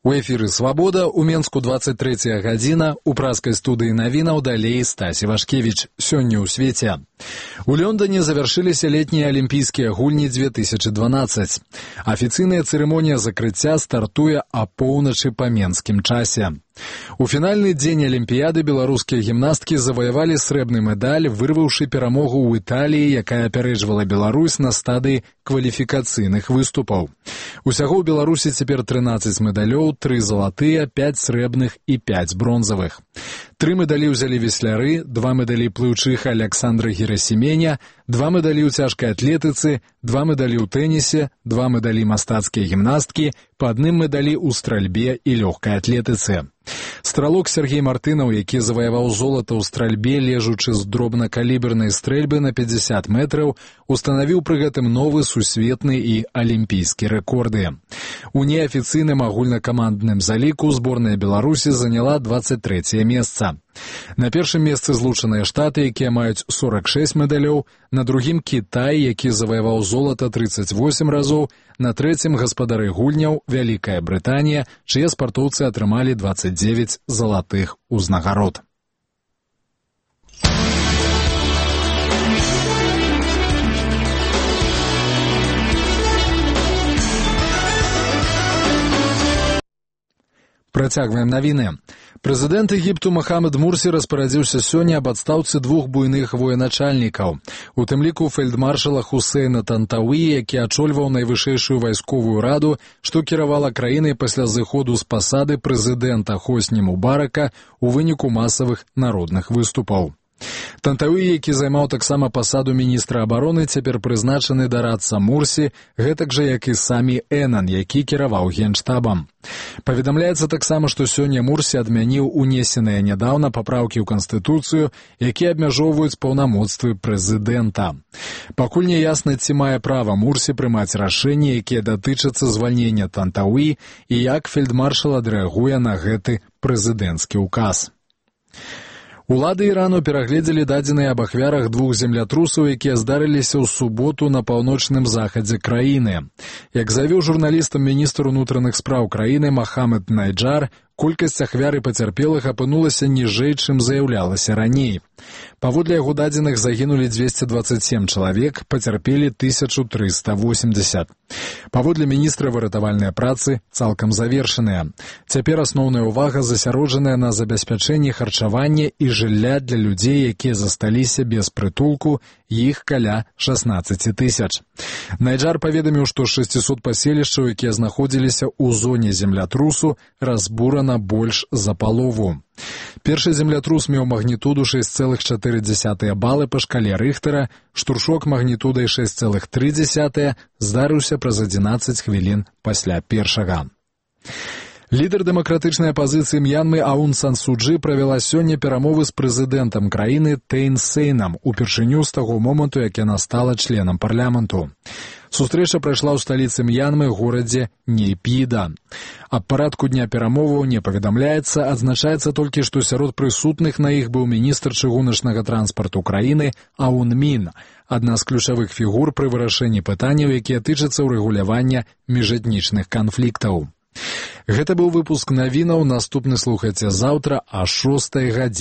У эфіры «Свабода», у Менску 23 гадзіна, у праскай студыі навінаў далей Стась Івашкевіч. Сёння ў свеце. У Лондоне завяршыліся летнія алімпійскія гульні 2012. Афіцыйная цырымонія закрыцця стартуе апоўначы па менскім часе. У фінальны дзень алімпіяды беларускія гімнасткі заваявалі срэбны медаль, вырваўшы перамогу ў Італіі, якая апярэджвала Беларусь на стадыі кваліфікацыйных выступаў. Усяго ў Беларусі цяпер 13 медалёў, 3 залатыя, 5 срэбных і 5 бронзавых. 3 медалі ўзялі весляры, 2 медалі плыўчыха Александра Герасіменя, 2 медалі ў цяжкай атлетыцы, 2 медалі ў тэнісе, 2 медалі мастацкія гімнасткі, па адным медалі ў стральбе і лёгкай атлетыцы. Стралок Сергей Мартынаў, які заваяваў золата ў стральбе, лежучы з дробнакалібернай стрэльбы на 50 метраў, устанавіў пры гэтым новы сусветны і алімпійскі рэкорды. У неафіцыйным агульнакамандным заліку зборная Беларусі заняла 23е месца. На першым месцы Злучаныя Штаты, якія маюць 46 медалёў, на другім Кітай, які заваяваў золата 38 разоў, на трэцім гаспадары гульняў Вялікая Брытанія, чые спартоўцы атрымалі 29 залатых узнагарод. Працягваем навіны. Прэзідэнт Егіпту Махамед Мурсі распарадзіўся сёння аб адстаўцы 2 буйных военачальнікаў, у тым ліку фельдмаршала Хусейна Тантауі, які ачольваў найвышэйшую вайсковую раду, што кіравала краінай пасля зыходу з пасады прэзідэнта Хосні Мубарака ў выніку масавых народных выступаў. Тантауі, які займаў таксама пасаду міністра абароны, цяпер прызначаны дарадца Мурсі, гэтак жа, як і самі Энан, які кіраваў генштабам. Паведамляецца таксама, што сёння Мурсі адмяніў унесеныя нядаўна папраўкі ў Канстытуцыю, якія абмяжоўваюць паўнамоцтвы прэзідэнта. Пакуль не ясна, ці мае права Мурсі прымаць рашэнні, якія датычацца звальнення Тантауі, і як фельдмаршал адрэагуе на гэты прэзідэнцкі ўказ. Улады Ірану перагледзелі дадзеныя аб ахвярах 2 землятрусаў, якія здарыліся ў суботу на паўночным захадзе краіны. Як заявіў журналістам міністр унутраных спраў краіны Махамед Найджар, колькасць ахвяр і пацярпелых апынулася ніжэй, чым заяўлялася раней. Паводле яго дадзеных загінулі 227 чалавек, пацярпелі 1380. Паводле міністра выратавальныя працы цалкам завершаныя. Цяпер асноўная ўвага засяроджаная на забеспячэнні харчавання і жылля для людзей, якія засталіся без прытулку, іх каля 16 тысяч. Найджар паведаміў, што 600 паселішчаў, якія знаходзіліся ў зоне землятрусу, разбурана больш за палову. Першы землятрус меў магнітуду 6,4 балы па шкале Рыхтера, штуршок магнітудай 6,3 здарыўся праз 11 хвілін пасля першага. Лідар дэмакратычнай апазіцыі М'янмы Аун Сан Су Чжы правяла сёння перамовы з прэзідэнтам краіны Тэйн Сейнам упершыню з таго моманту, як яна стала членам парламенту. Сустрэча прайшла ў сталіцы М'янмы, горадзе Нейпіда. Аб парадку дня перамоваў не паведамляецца, адзначаецца толькі, што сярод прысутных на іх быў міністр чыгуначнага транспарту краіны Аун Мін, адна з ключавых фігур пры вырашэнні пытанняў, якія тычацца ўрэгулявання міжэтнічных канфліктаў. Гэта быў выпуск навінаў, наступны слухайце заўтра о 6 гадзіне.